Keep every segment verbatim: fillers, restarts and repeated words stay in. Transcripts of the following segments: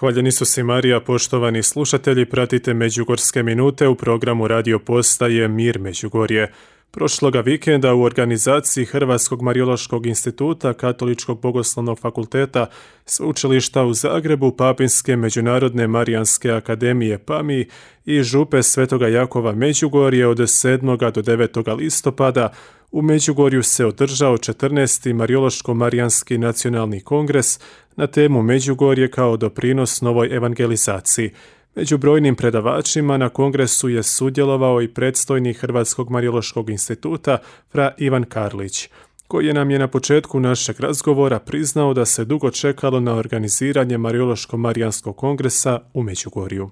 Hvaljen Isus i Marija, poštovani slušatelji, pratite Međugorske minute u programu radio postaje Mir Međugorje. Prošloga vikenda u organizaciji Hrvatskog Marijološkog instituta, Katoličkog bogoslovnog fakulteta, Sveučilišta u Zagrebu, Papinske međunarodne Marijanske akademije P A M I i Župe Svetoga Jakova Međugorje od sedmog do devetog listopada u Međugorju se održao četrnaesti Marijološko-marijanski nacionalni kongres na temu Međugorje kao doprinos novoj evangelizaciji. Među brojnim predavačima na kongresu je sudjelovao i predstojnik Hrvatskog Marijološkog instituta fra Ivan Karlić, koji nam je na početku našeg razgovora priznao da se dugo čekalo na organiziranje Marijološko-marijanskog kongresa u Međugorju.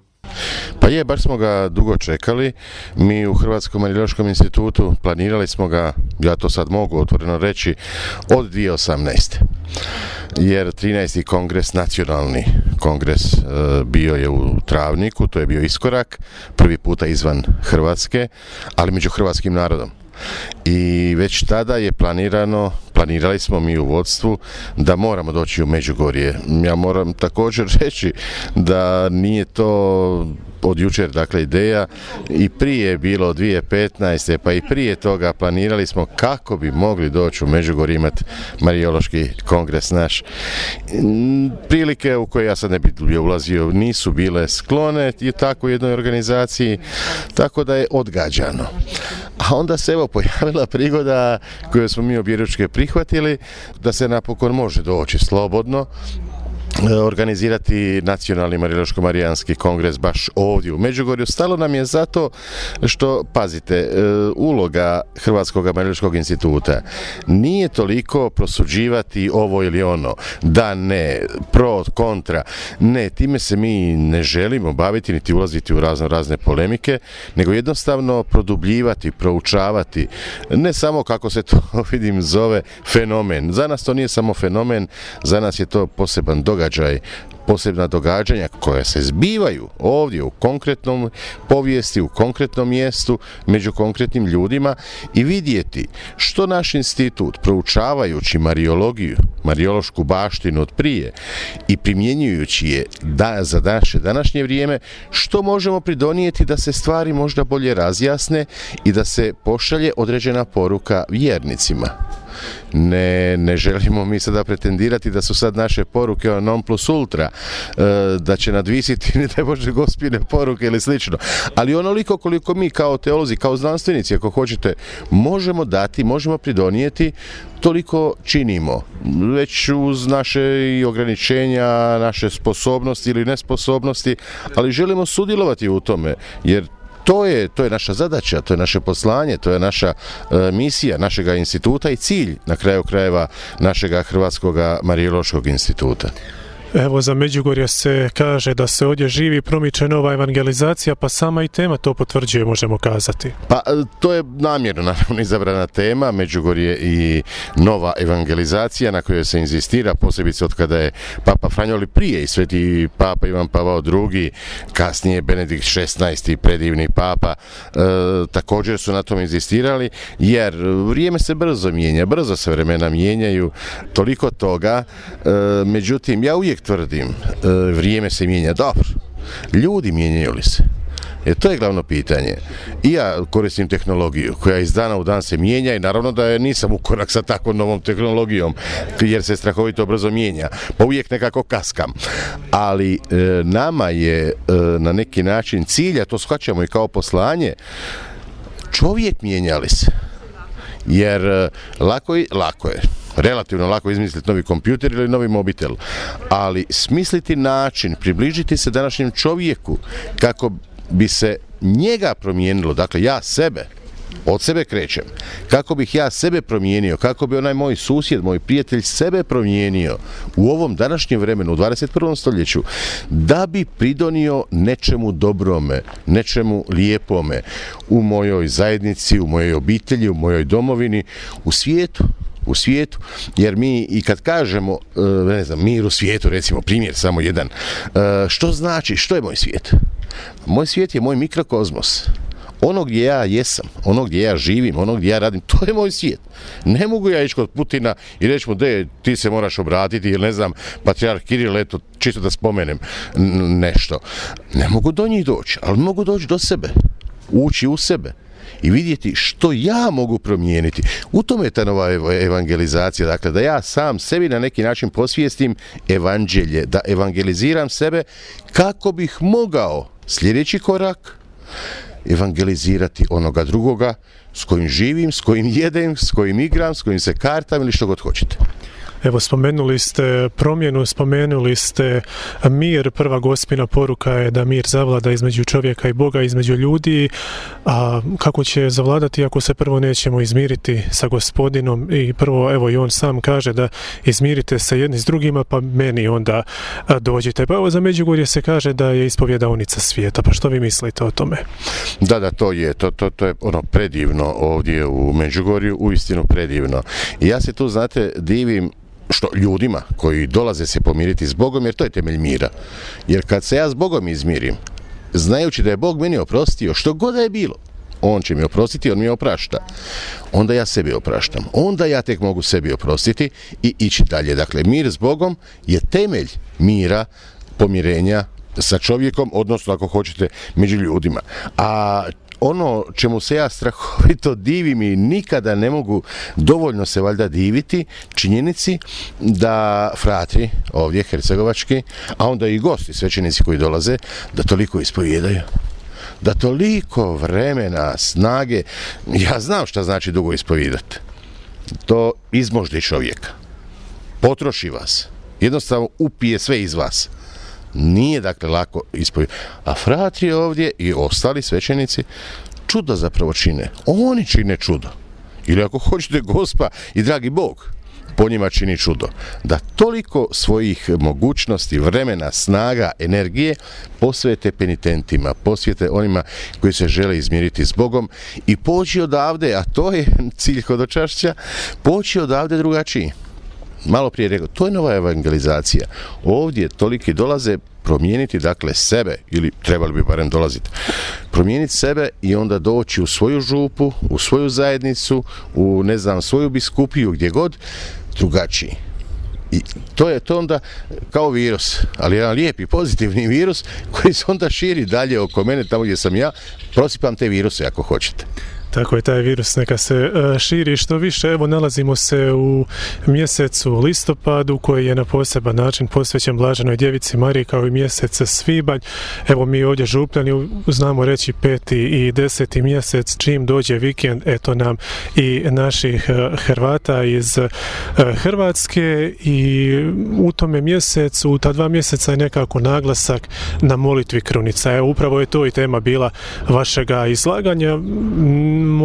Pa je, baš smo ga dugo čekali. Mi u Hrvatskom Marijološkom institutu planirali smo ga, ja to sad mogu otvoreno reći, od dvije tisuće osamnaeste. Jer trinaesti kongres, nacionalni kongres, bio je u Travniku, to je bio iskorak, prvi puta izvan Hrvatske, ali među hrvatskim narodom. I već tada je planirano, planirali smo mi u vodstvu da moramo doći u Međugorje. Ja moram također reći da nije to od jučer, dakle, ideja, i prije je bilo dvije tisuće petnaeste, pa i prije toga planirali smo kako bi mogli doći u Međugorje imati Marijološki kongres naš. Prilike u koje ja sad ne bi ulazio nisu bile sklone i tako jednoj organizaciji, tako da je odgađano. A onda se evo pojavila prigoda koju smo mi objeručke prihvatili, da se napokon može doći slobodno organizirati nacionalni Marijološko-marijanski kongres baš ovdje u Međugorju. Stalo nam je zato što, pazite, uloga Hrvatskog Marijološkog instituta nije toliko prosuđivati ovo ili ono, da, ne, pro, kontra, ne, time se mi ne želimo baviti niti ulaziti u razno razne polemike, nego jednostavno produbljivati, proučavati, ne samo, kako se to vidim zove, fenomen. Za nas to nije samo fenomen, za nas je to poseban događaj, posebna događanja koja se zbivaju ovdje u konkretnom povijesti, u konkretnom mjestu, među konkretnim ljudima, i vidjeti što naš institut, proučavajući marijologiju, marijološku baštinu od prije i primjenjujući je da, za naše današnje vrijeme, što možemo pridonijeti da se stvari možda bolje razjasne i da se pošalje određena poruka vjernicima. Ne, ne želimo mi sada pretendirati da su sad naše poruke non plus ultra, da će nadvisiti ne daj Bože gospine poruke ili slično, ali onoliko koliko mi kao teolozi, kao znanstvenici, ako hoćete, možemo dati, možemo pridonijeti, toliko činimo, već uz naše i ograničenja, naše sposobnosti ili nesposobnosti, ali želimo sudjelovati u tome, jer To je, to je naša zadaća, to je naše poslanje, to je naša e, misija našega instituta i cilj, na kraju krajeva, našega Hrvatskog Marijološkog instituta. Evo, za Međugorje se kaže da se ovdje živi i promiče nova evangelizacija, pa sama i tema to potvrđuje, možemo kazati. Pa to je namjerno, naravno, izabrana tema, Međugorje i nova evangelizacija na kojoj se inzistira, posebice od kada je Papa Franjo, ali prije i sveti Papa Ivan Pavao drugi, kasnije Benedikt šesnaesti, predivni Papa, e, također su na tom inzistirali, jer vrijeme se brzo mijenja, brzo se vremena mijenjaju, toliko toga, e, međutim, ja uvijek tvrdim, vrijeme se mijenja, dobro, ljudi mijenjaju li se? Jer to je glavno pitanje. I ja koristim tehnologiju koja iz dana u dan se mijenja i naravno da je nisam u korak sa takvom novom tehnologijom, jer se strahovito brzo mijenja, pa uvijek nekako kaskam. Ali e, nama je e, na neki način cilj, a to shvaćamo i kao poslanje, čovjek mijenja li se? Jer e, lako, je, lako je. relativno lako izmisliti novi kompjuter ili novi mobitel, ali smisliti način, približiti se današnjem čovjeku kako bi se njega promijenilo, dakle ja sebe, od sebe krećem, kako bih ja sebe promijenio, kako bi onaj moj susjed, moj prijatelj sebe promijenio u ovom današnjem vremenu, u dvadeset prvom stoljeću, da bi pridonio nečemu dobrome, nečemu lijepome u mojoj zajednici, u mojoj obitelji, u mojoj domovini, u svijetu. u svijetu, jer mi i kad kažemo, ne znam, mir u svijetu, recimo primjer samo jedan, što znači, što je moj svijet? Moj svijet je moj mikrokozmos. Ono gdje ja jesam, ono gdje ja živim, ono gdje ja radim, to je moj svijet. Ne mogu ja ići kod Putina i reći mu, de, ti se moraš obratiti, ili ne znam, patrijarh Kiril, eto, čisto da spomenem nešto. Ne mogu do njih doći, ali mogu doći do sebe, ući u sebe i vidjeti što ja mogu promijeniti. U tome je ta nova evangelizacija, dakle da ja sam sebi na neki način posvijestim evanđelje, da evangeliziram sebe kako bih mogao sljedeći korak evangelizirati onoga drugoga s kojim živim, s kojim jedem, s kojim igram, s kojim se kartam ili što god hoćete. Evo, spomenuli ste promjenu, spomenuli ste mir, prva gospina poruka je da mir zavlada između čovjeka i Boga, između ljudi, a kako će zavladati ako se prvo nećemo izmiriti sa Gospodinom i prvo, evo i on sam kaže da izmirite se jedni s drugima, pa meni onda dođite. Pa evo, za Međugorje se kaže da je ispovjedaonica svijeta, pa što vi mislite o tome? Da, da, to je, to, to, to je ono predivno ovdje u Međugorju, uistinu predivno. I ja se tu, znate, divim što ljudima koji dolaze se pomiriti s Bogom, jer to je temelj mira. Jer kad se ja s Bogom izmirim, znajući da je Bog meni oprostio što god da je bilo, on će mi oprostiti, on mi oprašta. Onda ja sebi opraštam. Onda ja tek mogu sebi oprostiti i ići dalje. Dakle, mir s Bogom je temelj mira, pomirenja sa čovjekom, odnosno ako hoćete među ljudima. A ono čemu se ja strahovito divim i nikada ne mogu dovoljno se valjda diviti, činjenici da fratri ovdje hercegovački, a onda i gosti, svećenici koji dolaze, da toliko ispovijedaju. Da toliko vremena, snage, ja znam šta znači dugo ispovijedati. To izmoždi čovjeka. Potroši vas. Jednostavno upije sve iz vas. Nije dakle lako ispovjedati. A fratri ovdje i ostali svećenici čudo zapravo čine. Oni čine čudo. Ili ako hoćete Gospa i dragi Bog po njima čini čudo. Da toliko svojih mogućnosti, vremena, snaga, energije posvete penitentima, posvete onima koji se žele izmiriti s Bogom i poći odavde, a to je cilj hodočašća, poći odavde drugačiji. Malo prije rekao, to je nova evangelizacija. Ovdje toliki dolaze promijeniti dakle sebe, ili trebali bi barem dolaziti, promijeniti sebe i onda doći u svoju župu, u svoju zajednicu, u ne znam, svoju biskupiju, gdje god, drugačiji. I to je to onda kao virus, ali jedan lijepi, pozitivni virus koji se onda širi dalje oko mene, tamo gdje sam ja, prosipam te viruse ako hoćete. Tako je, taj virus neka se širi što više. Evo, nalazimo se u mjesecu listopadu koji je na poseban način posvećen Blaženoj Djevici Mariji, kao i mjesec svibanj. Evo, mi ovdje župljani znamo reći peti i deseti mjesec, čim dođe vikend, eto nam i naših Hrvata iz Hrvatske, i u tome mjesecu, u ta dva mjeseca je nekako naglasak na molitvi krunica. Evo, upravo je to i tema bila vašega izlaganja.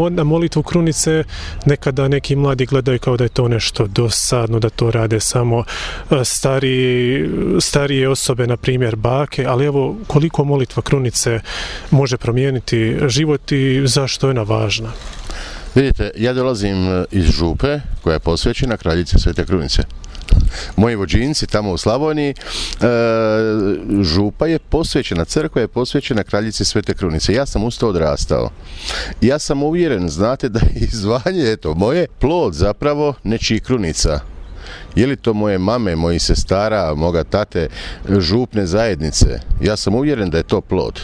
Na molitvu krunice nekada neki mladi gledaju kao da je to nešto dosadno, da to rade samo stariji, starije osobe, na primjer bake, ali evo koliko molitva krunice može promijeniti život i zašto je ona važna? Vidite, ja dolazim iz župe koja je posvećena kraljici Svete Krunice. Moji vođinci tamo u Slavoniji, e, župa je posvećena, crkva je posvećena kraljici Svete Krunice. Ja sam uz to odrastao. Ja sam uvjeren, znate, da je zvanje, eto, moje plod zapravo nečijih krunica. Je li to moje mame, mojih sestara, moga tate, župne zajednice? Ja sam uvjeren da je to plod.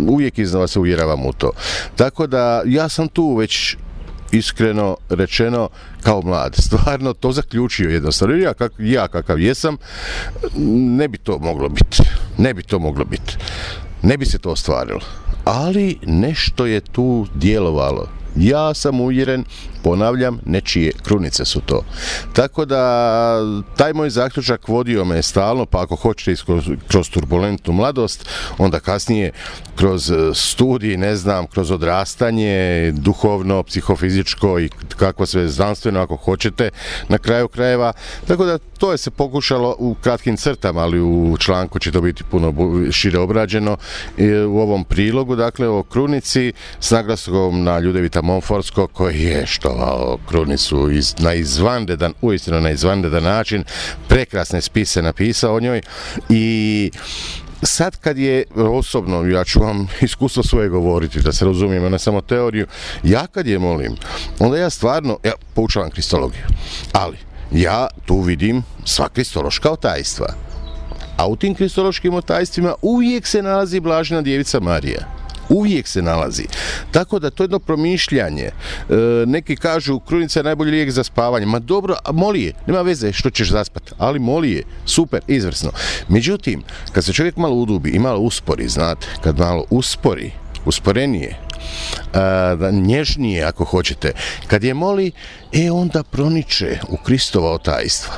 Uvijek iznova se uvjeravam u to. Tako da ja sam tu već, iskreno rečeno, kao mlad, stvarno to zaključio jednostavno. Ja, kak, ja kakav jesam, ne bi to moglo biti. Ne bi to moglo biti. Ne bi se to ostvarilo. Ali nešto je tu djelovalo. Ja sam uvjeren, ponavljam, nečije krunice su to. Tako da taj moj zaključak vodio me stalno, pa ako hoćete kroz, kroz turbulentnu mladost, onda kasnije kroz studij, ne znam, kroz odrastanje, duhovno, psihofizičko i kako sve znanstveno ako hoćete, na kraju krajeva. Tako da to je se pokušalo u kratkim crtama, ali u članku će to biti puno šire obrađeno u ovom prilogu, dakle o krunici s naglaskom na Ljudevita Monforskog, koji je štovao krunicu iz, na izvanredan, uistinu na izvanredan način, prekrasne spise napisao o njoj i sad kad je osobno, ja ću vam iskustvo svoje govoriti, da se razumijemo, ne samo teoriju, ja kad je molim, onda ja stvarno, ja poučavam kristologiju, ali ja tu vidim sva kristološka otajstva. A u tim kristološkim otajstvima uvijek se nalazi Blažena Djevica Marija. Uvijek se nalazi. Tako da to je jedno promišljanje. E, neki kažu krunica je najbolji lijek za spavanje. Ma dobro, moli je. Nema veze što ćeš zaspati. Ali moli je. Super, izvrsno. Međutim, kad se čovjek malo udubi i malo uspori, znate, kad malo uspori, usporenije, a, da nježnije ako hoćete, kad je moli, e onda proniče u Kristova otajstva,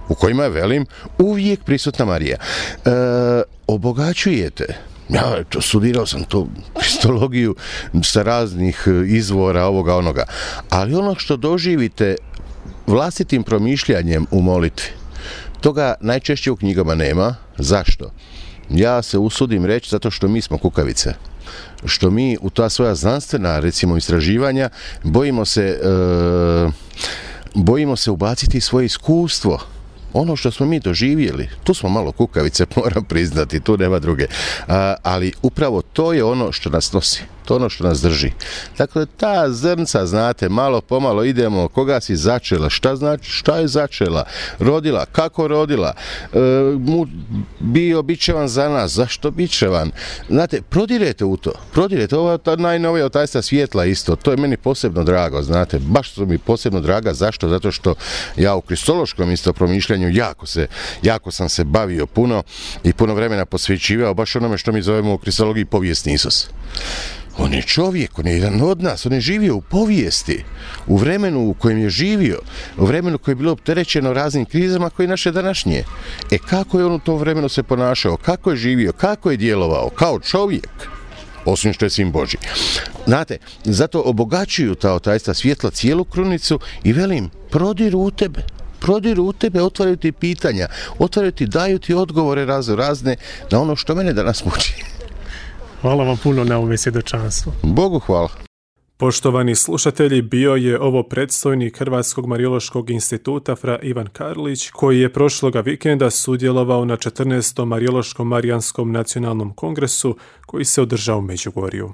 u kojima je, velim, uvijek prisutna Marija. E, obogaćujete. Ja to, studirao sam to kristologiju sa raznih izvora ovoga onoga, ali ono što doživite vlastitim promišljanjem u molitvi, toga najčešće u knjigama nema. Zašto? Ja se usudim reći zato što mi smo kukavice. Što mi u ta svoja znanstvena, recimo, istraživanja bojimo se e, bojimo se ubaciti svoje iskustvo. Ono što smo mi doživjeli, tu smo malo kukavice, moram priznati, tu nema druge. A, ali upravo to je ono što nas nosi, to je ono što nas drži. Dakle, ta zrnca, znate, malo pomalo idemo, koga si začela, šta znači, šta je začela, rodila, kako rodila, e, mu bio bićevan za nas, zašto bićevan. Znate, prodirete u to, prodirete, ova ta najnovija otajstva svjetla isto, to je meni posebno drago, znate, baš su mi posebno draga, zašto? Zato što ja u kristološkom isto promišljanju jako se, jako sam se bavio puno i puno vremena posvećivao baš onome što mi zovemo u kristologiji povijesni Isus. On je čovjek, on je jedan od nas, on je živio u povijesti, u vremenu u kojem je živio, u vremenu koje je bilo opterećeno raznim krizama koje je naše današnje. E kako je on u tom vremenu se ponašao, kako je živio, kako je djelovao, kao čovjek, osim što je sin Božji. Znate, zato obogaćuju ta otajstva svjetla cijelu krunicu i velim, prodiru u tebe. Prodiru u tebe, otvaraju ti pitanja, otvaraju ti, daju ti odgovore razno razne na ono što mene danas muči. Hvala vam puno na ovom svjedočanstvu. Bogu hvala. Poštovani slušatelji, bio je ovo predstojnik Hrvatskog Marijološkog instituta fra Ivan Karlić, koji je prošloga vikenda sudjelovao na četrnaestom Marijološkom Marijanskom nacionalnom kongresu koji se održao u Međugorju.